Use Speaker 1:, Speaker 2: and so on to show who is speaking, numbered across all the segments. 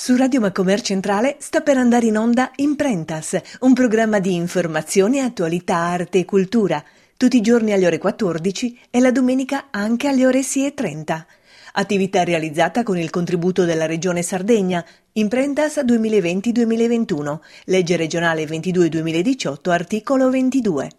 Speaker 1: Su Radio Macomer Centrale sta per andare in onda Imprentas, un programma di informazione, attualità, arte e cultura, tutti i giorni alle ore 14 e la domenica anche alle ore 6.30. Attività realizzata con il contributo della Regione Sardegna, Imprentas 2020-2021, legge regionale 22-2018, articolo 22.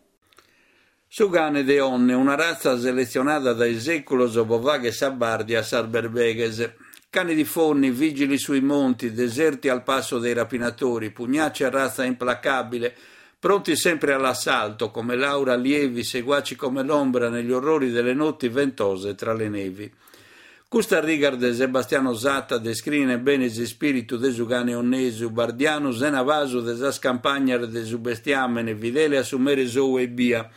Speaker 2: Su cane de Onne, una ratza seletzionada dae sèculos pro fàghere sa bàrdia a sas berbeghes. Cani di Fonni, vigili sui monti, deserti al passo dei rapinatori, pugnace razza implacabile, pronti sempre all'assalto, come l'aura lievi, seguaci come l'ombra negli orrori delle notti ventose tra le nevi. Custas rigas de Sebastiano Satta descrient bene s'ispìritu de su cane onnesu, bardianu sena pasu de sas campagnas de su bestiàmene, fidele a su mere sou ebbia.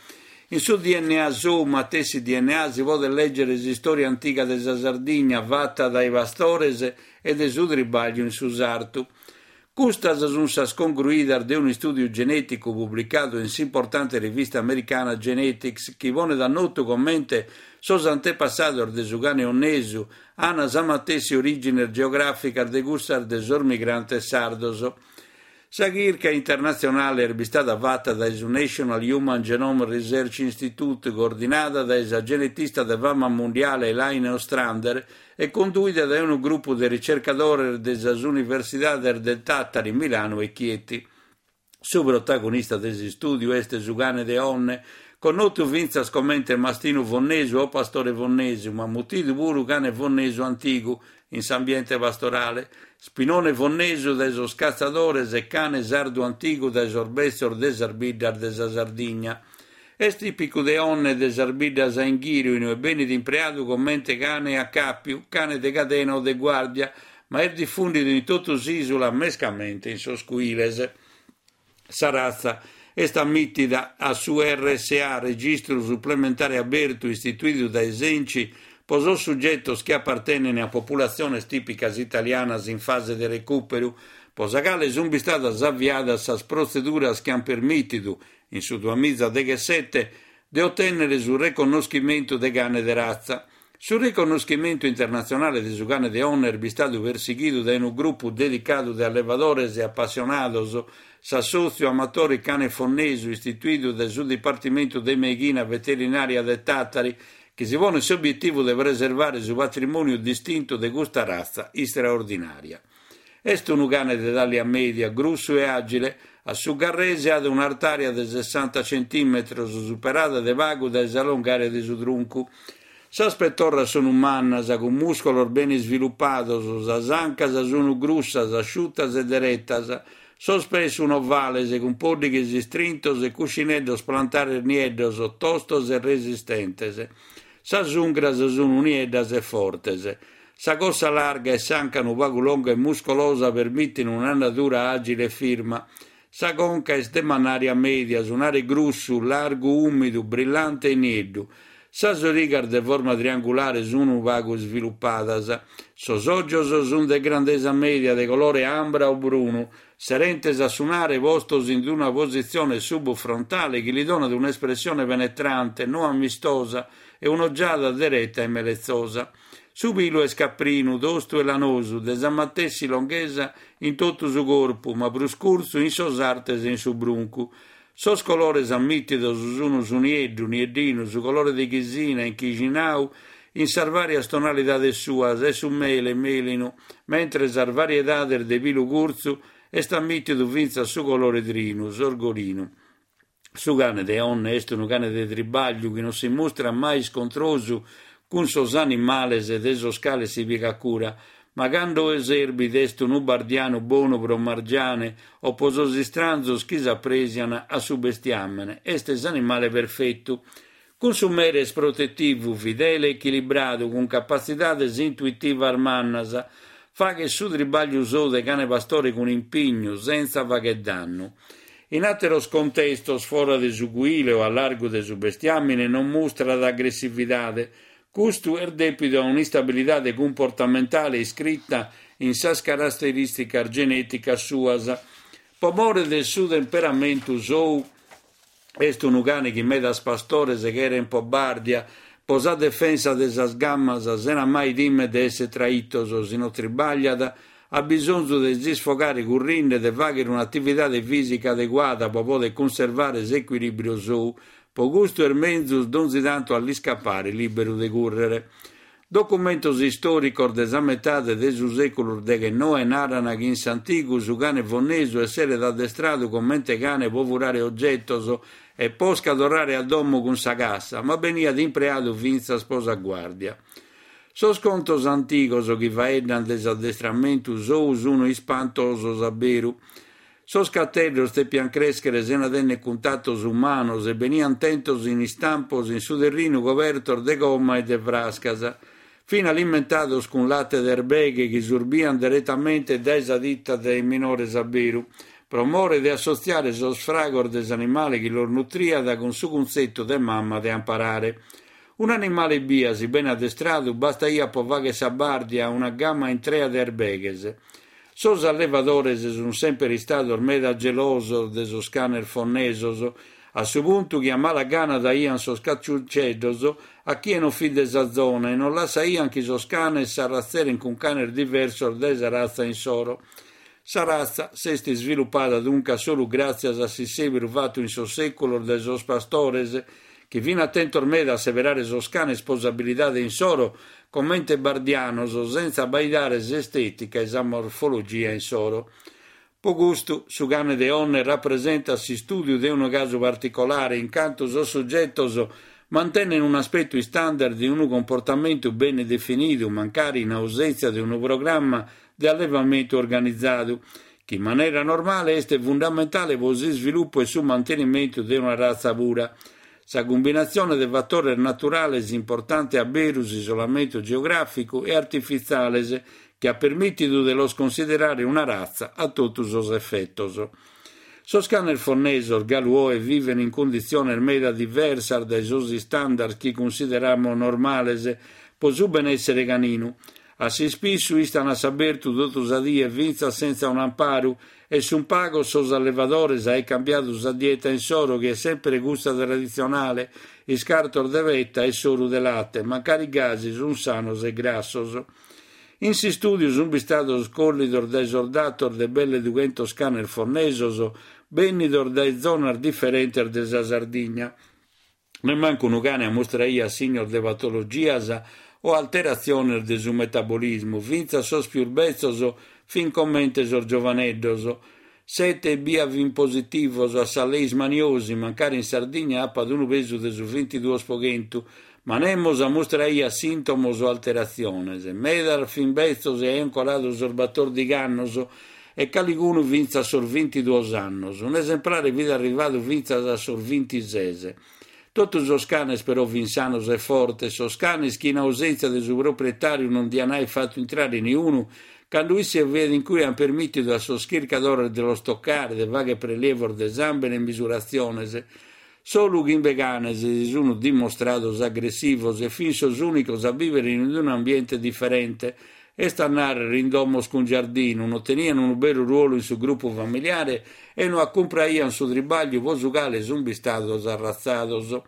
Speaker 2: In su dna sou, matessi dna, si podet lègere s'istòria antiga de sa Sardigna fata dae pastores e de su tribàgliu in su sartu. Custas sunt sas congruidas de unu istùdiu genèticu publicadu in s'importante rivista americana Genetics chi ponet a notu comente sos antepassados de su cane onnesu ant sa matessi orìgines geogràficas de cussas de sos migrantes sardos. Sa chirca internatzionale est bistada fata dae su National Human Genome Research Institute, coordinada dae sa genetista de fama mundiale Elaine Ostrander e conduida dae unu grupu de ricercadores de sas universidades de Tàtari, Milanu e Chieti. Su protagonista de s'istùdiu est su cane de Onne, connotu fintzas comente mastinu fonnesu o pastore fonnesu, ma mutidu puru cane fonnesu antigu in s'ambiente pastorale, spinone fonnesu dae sos catzadores e cane sardu antigu dae sos betzos de sas biddas de sa Sardigna. Est tìpicu de Onne e de sas biddas a inghìriu in ue benit impreadu comente cane a càpiu, cane de cadena o de guàrdia, ma est difùndidu in totu s'ìsula, mescamente in sos cuiles. Sa ratza est ammìtida a su RSA, Registru Suplementare Abertu, istituidu dae s'Enci pro sos sugetos chi apartenent a populatziones tìpicas italianas in fase de recùperu, pro sa cale sunt bistadas aviadas sas protzeduras chi ant permìtidu, in su duamizadeghesete, de otènnere su reconnoschimentu de cane de ratza. Su reconnoschimentu internatzionale de su cane de Onne est bistadu persighidu dae unu grupu dedicadu de allevadores e apassionados, s'Assòtziu Amatori Cane Fonnesu, istituidu dae su Dipartimentu de Meighina Veterinària de Tàtari, chi si ponet s'obietivu de preservare su patrimòniu distintu de custa ratza istraordinària. Est unu cane de tàllia mèdia, grussu e àgile. A su garrese at un'artària de sessanta centìmetros, superada de pagu dae sa longària de su truncu. Sas petorras sunu mannas, cun mùscolos bene isvilupados, sas ancas sunu grussas, asciutas e deretas. Sos pes sun ovales, cun pòddighes istrintos e cuscineddos plantares nieddos, tostos e resistentes. Sas ungras sunu nieddas e fortes. Sa cossa larga e s'anca unu pagu longa e muscolosa permitin un'andadura àgile e firma. Sa conca est de mannària mèdia, su nare grussu, largu ùmidu, brillante e nieddu. Sas origas de forma triangulare sun pagu isvilupadas. Sos ògios sun de grandesa mèdia, de colore ambra o brunu, serentes a su nare postos in una positzione subfrontale chi li donat un'espressione penetrante, no amistosa, e un'ogiada dereta e meletzosa. Su pilu est caprinu, tostu e lanosu, de sa matessi longhesa in totu su corpu, ma prus curtzu in sos artes e in su bruncu. Sos colores ammìtidos sun su nieddu, nieddinu, su colore de chisina, inchixinau, in sas vàrias tonalidades suas, e su mele, melinu, mentres sas variedades de pilu curtzu est ammìtidu fintzas su colore trinu, sorgolinu. Su cane de Onne est unu cane de tribàgliu chi non si mustrat mai iscontrosu cun sos animales de sos cales si pigat cura, ma cando serbit est unu bardianu bonu pro margiane o pro sos istranzos chi s'apresian a su bestiàmene, est s'animale perfetu. Cun su mere est protetivu, fidele e echilibradu, cun capatzidades intuitivas mannas. Faghet su tribàgliu sou de cane pastore cun impignu, sentza fagher dannu. In àteros contestos, fora de su cuile o a largu de su bestiàmine, non mustrat agressividade. Custu est dèpidu a un'istabilidade cumportamentale iscrita in sas caraterìsticas genèticas suas. Pro more de su temperamentu sou, Est unu cane chi medas pastores cherent pro bàrdia, pro sa defensa de sas gamas, sena mai timer de esser traitos, si no tribagliat. At bisonzu de s'isfogare currinde e de fàghere un'atividade fìsica adeguada pro poder cunservare s'ecuilìbriu sou. Pro custu est menzus donzi tantu a l'iscapare lìberu de cùrrere. Documentos istòricos de sa metade de su sèculu deghennoe naran chi in s'antigu su cane fonnesu esseret addestradu comente cane pro furare ogetos e posca torrare a domo cun sa cassa, ma beniat impreadu fintzas pro sa guàrdia. Sos contos antigos chi faeddan de s'addestramentu sou sun ispantosos a beru. Sos cateddos depiant crèschere sena tènnere cuntatos umanos e beniant tentos in istampos in su terrinu cobertos de gomma e de frascas. Fin alimentados cun late de erbeghe chi surbiant deretamente dae sa tita dae minores a beru, pro more de assotziare sos fragos de s'animale chi los nutriat cun su cuntzetu de mama de amparare. Un'animale bia, si bene addestradu, bastaiat pro fàghere sa bàrdia a una gama intrea de erbeghes. Sos allevadores sunt semper istados meda gelosos de sos canes fonnesos, a su puntu chi a mala gana daiant sos caciunceddos a chie non fit de sa zona e non lassaiant chi sos canes s'arratzerent cun canes diversos dae sa ratza insoro. Sa ratza s'est isvilupada duncas solu gràtzias a s'issèberu fatu in sos sèculos dae sos pastores, chi fin atentos meda a seberare sos canes pro s'abilidade insoro comente bardianos, sentza abbaidare s'estètica e sa morfologia insoro. Pro custu, su cane de Onne rapresentat s'istùdiu de unu casu particolare, in cantu sos sugetos mantenen un'aspetu istandard e unu cumportamentu bene definidu, mancari in ausèntzia de unu programma de allevamentu organizadu, chi in manera normale est fundamentale pro s'isvilupu e su mantenimentu de una ratza pura. Sa cumbinatzione de fatores naturales importante a beru s'isolamentu geogràficu e artifitziales chi at permìtidu de los cunsiderare una ratza a totu sos efetos. Sos canes fonnesos galu oe viven in cunditziones meda diversas dae sos istandards chi cunsideramos normales pro su benèssere caninu. A s'ispissu istan a s'abertu totu sa die fintzas sentza un'amparu e sunt pagos sos allevadores a aer cambiadu sa dieta insoro chi est semper cussa traditzionale, iscartos de peta e soru de late, mancari gasi sunt sanos e grassos. In s'istùdiu sunt bistados collidos dae sos datos de belle dughentos canes fonnesos bènnidos dae zonas diferentes de sa Sardigna. Nemmancu unu cane ammustraiat signos de patologias o alteratziones de su metabolismu, fintzas sos pius betzos fin comente sos giovaneddos. Sete ebbia fin positivos a sa leishmaniosi, mancari in Sardigna apat unu pesu de su vintiduos pro chentu, ma nemos ammustraiat sìntomos o alteratziones. Medas fin betzos e aiant coladu sos batòrdighi annos e calicunu fintzas sos vintiduos annos. Un'esemplare fit arrivadu fintzas a sos vintises. Totu sos canes però fin sanos e fortes, sos canes chi in ausèntzia de su proprietàriu non dian aer fatu intrare niunu, cando isse fiat in cue ant permìtidu a sos chircadores de los tocare, de fagher prelievos de sàmbene e misuratziones. Solu chimbe canes si sunt dimostrados agressivos e fin sos ùnicos a bìvere in un'ambiente diferente, est a nàrrere in domos cun giardinu, no tenian unu beru ruolu in su grupu familiare e no acumpraian su tribàgliu pro su cale sunt bistados arratzados.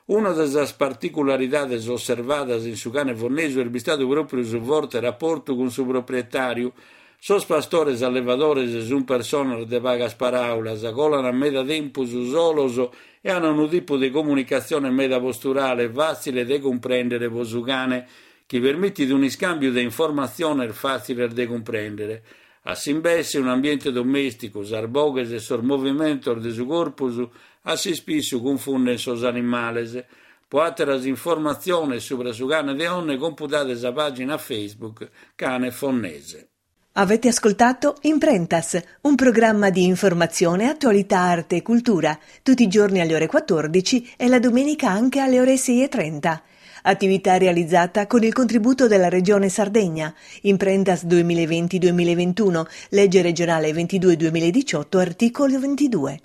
Speaker 2: Una de sas particularidades osservadas in su cane fonnesu est bistadu pròpriu su forte raportu cun su proprietàriu. Sos pastores allevadores sunt personas de pagas paràulas, colan meda tempus solos e an unu tipu de comunicatzione meda posturale, fàtzile de cumprèndere pro su cane, chi permitit un'iscàmbiu de informatziones fàtziles de cumprèndere. A s'imbesse, un'ambiente domèsticu, sas boghes e sos movimentos de su corpus a s'ispissu cunfunden sos animales. Pro àteras informatziones subra su cane de Onne compudade sa pàgina Facebook Cane Fonnese.
Speaker 1: Avete ascoltato Imprentas, un programma di informazione, attualità, arte e cultura, tutti i giorni alle ore 14 e la domenica anche alle ore 6.30. Attività realizzata con il contributo della Regione Sardegna. Imprentas 2020-2021, legge regionale 22-2018, articolo 22.